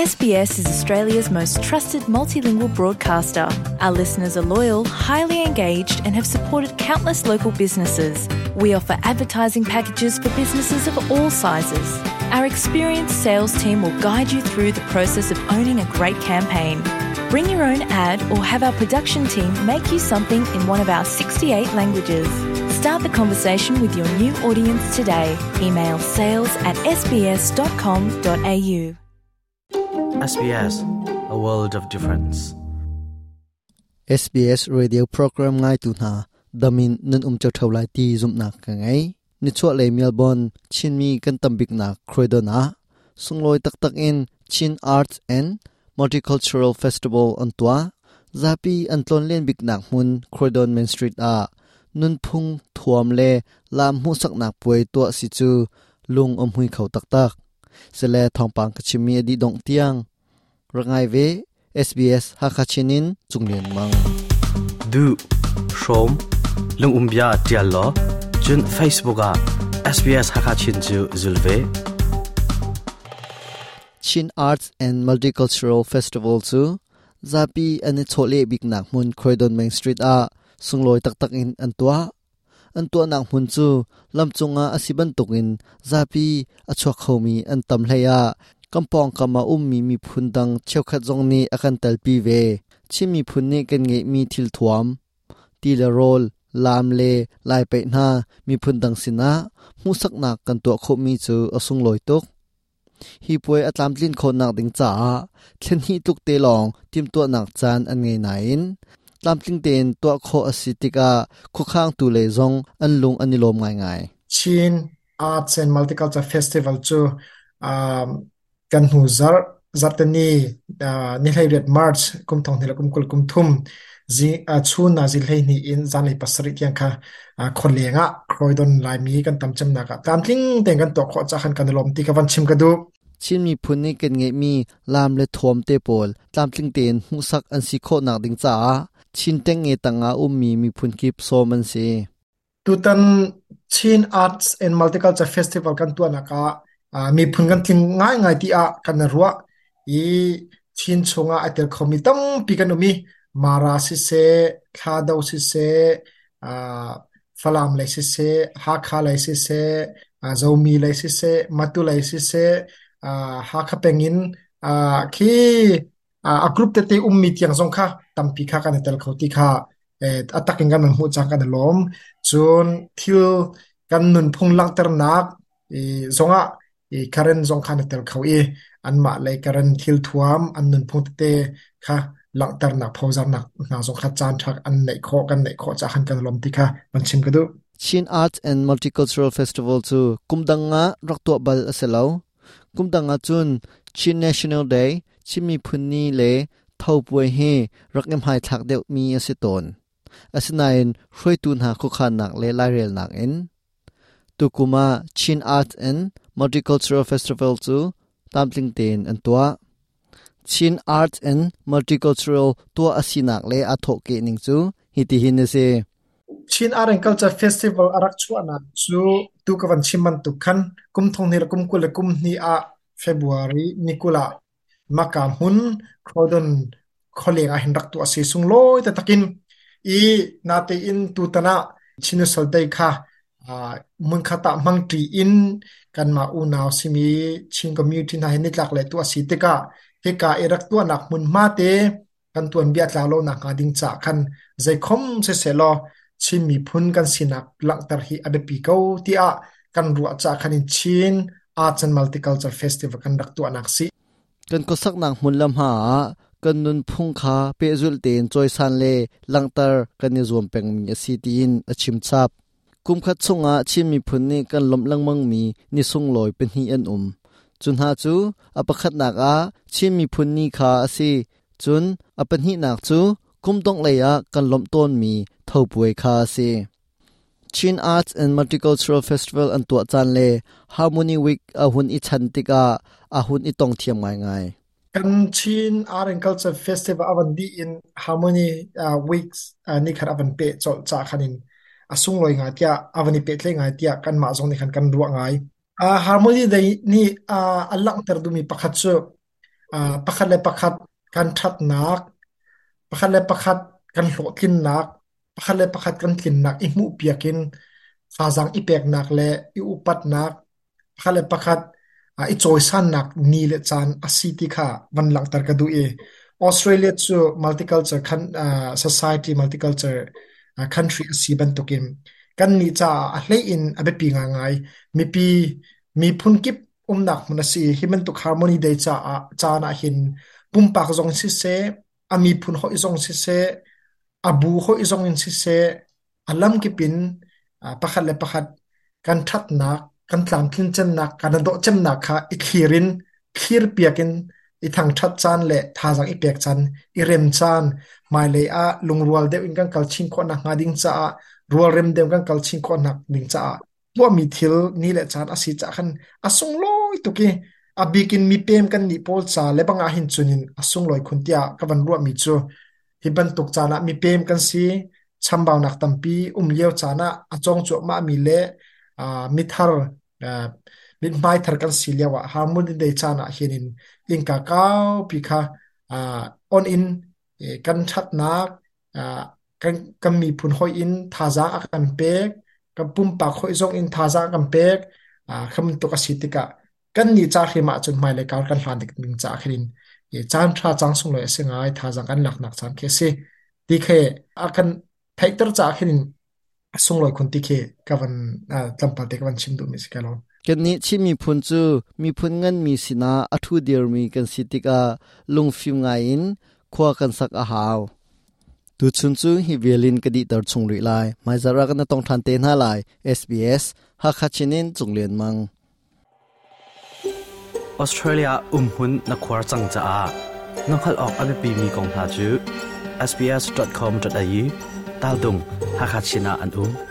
SBS is Australia's most trusted multilingual broadcaster. Our listeners are loyal, highly engaged, and have supported countless local businesses. We offer advertising packages for businesses of all sizes. Our experienced sales team will guide you through the process of owning a great campaign. Bring your own ad or have our production team make you something in one of our 68 languages. Start the conversation with your new audience today. Email sales at sbs.com.au. SBS, a world of difference. SBS radio program ngai tu hna damin nan um cheu theu lai ti zumnak ka ngei. Nichuah lei Melbourne Chinmi kan tambik nak Croydon ah sunglawi taktak in Chin Arts and Multicultural Festival an tuah. Zapi an tlonlen biknak hmun Croydon Main Street ah nunphung thuam le lam hmuhsaknak puai tuah si cu lung a hmui kho taktak. Sile thawngpang ka chimmi a dih dongh tiang rak ngai ve SBS Hakha Chin in Cunglian Mang. Duh, hrawm, lung um bia tial law, cun Facebook ah SBS Hakha Chin cu zul ve. Chin Arts and Multicultural Festival cu zapi an i chawhleh biknak hmun Croydon Main Street ah sunglawi taktak in an tuah. An tuahnak hmun cu lamcung ah a si bantukin zapi a chuak khomi an tam hlei ah kan pawngkam ah ummi miphun dang cheukhat zong nih a kan telpi ve. Chin miphun nih kan ngeihmi thilthuam, ti le rawl, laam le lai paih hna miphun dang sinah hmuhsaknak kan tuah khawhmi cu a sunglawi tuk. Hi puai a tlamtlin khawhnak ding caah thlen hnih tluk te lawng timhtuahnak caan an ngei nain tlamtling tein tuah khawh a si tikah khuakhangtu lei zong an lung an i lawm ngaingai. Chin Arts and Multicultural Festival cu kan hnu zarh zarhteni ni 18 March kum thong hnih le kum 20 kum thum chun ah zi 12 in zanlei 7 tiang kha khualeng ah Croydon Laimi kan tam cemnak ah tlamtling tein kan tuah khawh caah khan kan i lawm ti ka van chim ka duh. Chin miphun nih kan ngeihmi laam le thuam te pawl tlamtling tein hmuhsak an si khawhnak ding caah Chin tengnge tangah ummi miphun kip sawm an si. Tutan Chin Arts and Multicultural Festival kan tuahnak ah miphun kan tling ngaingai ti ah kan i ruah i Chin chungah ai tel khomi tampi kan um i Mara siseh, Thlado siseh, Falam lei siseh, Hakha lei siseh, Zomi lei siseh, Matu lei siseh, Hakha peng in khi a group tete ummi tiang zong kha tampi kha kan i tel kho ti kha a tak in kan van hmuh cang kan i lawm. Cun thil kan nunphung langhternak zongah Karen zong kha na tel kho i anmah lei Karen thil thuam an nunphung tete kha langhternak phozarnak hna zong kha caan ṭha an neih khawh kan neih khawh caah khan kan lawm ti kha van chim ka duh. Chin Arts and Multicultural Festival cu kum dang ah rak tuah bal a si lo. Kum dang ah cun Chin National Day, Chin Miphun Ni le Tho Puai hi rak i hmaithlak deuhmi a si tawn. Asinain hruaitu hna khuakhannak le lairelnak in tukum ah Chin Arts and Multicultural Festival cu tlamtling tein an tuah. Chin Arts and Multicultural tuah a sinak le aa thawhkeh ning cu hitihin a si. Chin Art and Culture Festival a rak chuahnak cu tu ka van chim bantuk khan kum thong hnih le kum 20 le kum hnih ah February ni 20 ah Maka hmun Croydon khualeng ah hin rak tuah a si sunglawi taktak in i natein tutan ah Chin Soltei kha hmunkhat ah hmangṭi in kanmah unau simi Chin community hna hi nitlak le tuah a si tikah hika i rak tuahnak hmunhma te kan tuanbia tlau lo nakhnga ding caah khan zeikhom siseh law Chin miphun kan sinak langhter hi a biapi ko tiah kan ruah caah khan in Chin Arts and Multicultural Festival kan rak tuahnak si. Kan khuasaknak hmun le hma ah kan nunphung kha pehzulh tein cawisan le langhter kan i zuam pengmi a si tiin a chim chap. Kumkhat chungah Chin miphun nih kan lawmh lengmangmi ni sunglawi pahnih an um. Cu hna cu a pakhatnak ah Chin miphun ni kha a si. Cun a pahnihnak cu kum dongh lei ah kan lawmh tawnmi Tho Puai kha a si. Chin Arts and Multicultural Festival an tuah caan le Harmony Week a hun i chan tikah a hun i tong thiam ngaingai. Kan Chin Art and Culture Festival a van dih in Harmony Weeks ni khat a van peh colh ca khan in a sunglawi ngai tiah a van i pehtlaih ngai tiah kanmah zong nih khan kan ruah ngai. Harmony Day nih a langhter duhmi pakhat cu Pakhat le pakhat kan ṭhatnak, pakhat le pakhat kan hlawhtlinnak, pakhat le pakhat kan tlinnak i hmuhpiak in thazaang i peknak le i upatnak, pakhat le pakhat i cawisannak ni le caan a si ti kha van langhter ka duh i Australia cu multicultural society, multicultural country a si bantukin kan nih caah a hlei in a biapi ngaingai. Mipi miphun kip umnak hmun a si. Hi bantuk Harmony Day caah caan ah hin pumpak zong siseh, a miphun hawi zong siseh, a bu hawi zong in siseh, a lamkip in pakhat le pakhat kan ṭhatnak, kan tlamtlin cemnak, kan i dawh cemnak kha i thlir in thlirpiak in i thangṭhat caan le thazaang i pek caan, i rem caan, hmailei ah lungrual deuh in kan kal chin khawh nakhnga ding caah, rualrem deuh kan kal chin khawh nak ding caah tuahmi thil ni le caan a si caah khan a sunglawi tuk i a bik in mipem kan nih pawl ca le bang ah hin cun in a sunglawi khun tiah ka van ruahmi cu hi bantuk caan ah mipem kan si chambaunak tampi um lio caan ah a cawng cuahmah mi le mithar mithmai thar kan si lio ah Harmony Day caan ah hin in innka kaupi kha on in kan ṭhatnak kan miphun hoih in thazaang a kan pek, kan pumpak hoih zong in thazaang a kan pek. Kha bantuk a si tikah kan nih ca hrim ahcun hmailei kar kan hlan ding caah khin in caan ṭha cang sunglawi a si ngai, thazaang kan laknak caan khi a si ti khi a kan theihter caah khin in a sunglawi khun ti khi ka van tlawmpal te ka van chim duhmi si ka lo. Kannih Chin miphun cu miphun nganmi sinah a ṭhu dirmi kan si tikah lungfim ngaiin khua kan sak a hau. Tuchun cu hi vial in ka dihter chung rih lai. Hmaizarh ah kan tong ṭhan te hna lai. SBS Hakha Chin in Cung Lian Mang. Australia umhmun na khuar cang caah na hngalh awk a biapimi kong hna cu sbs.com.au tal dung Hakha Chin ah an um.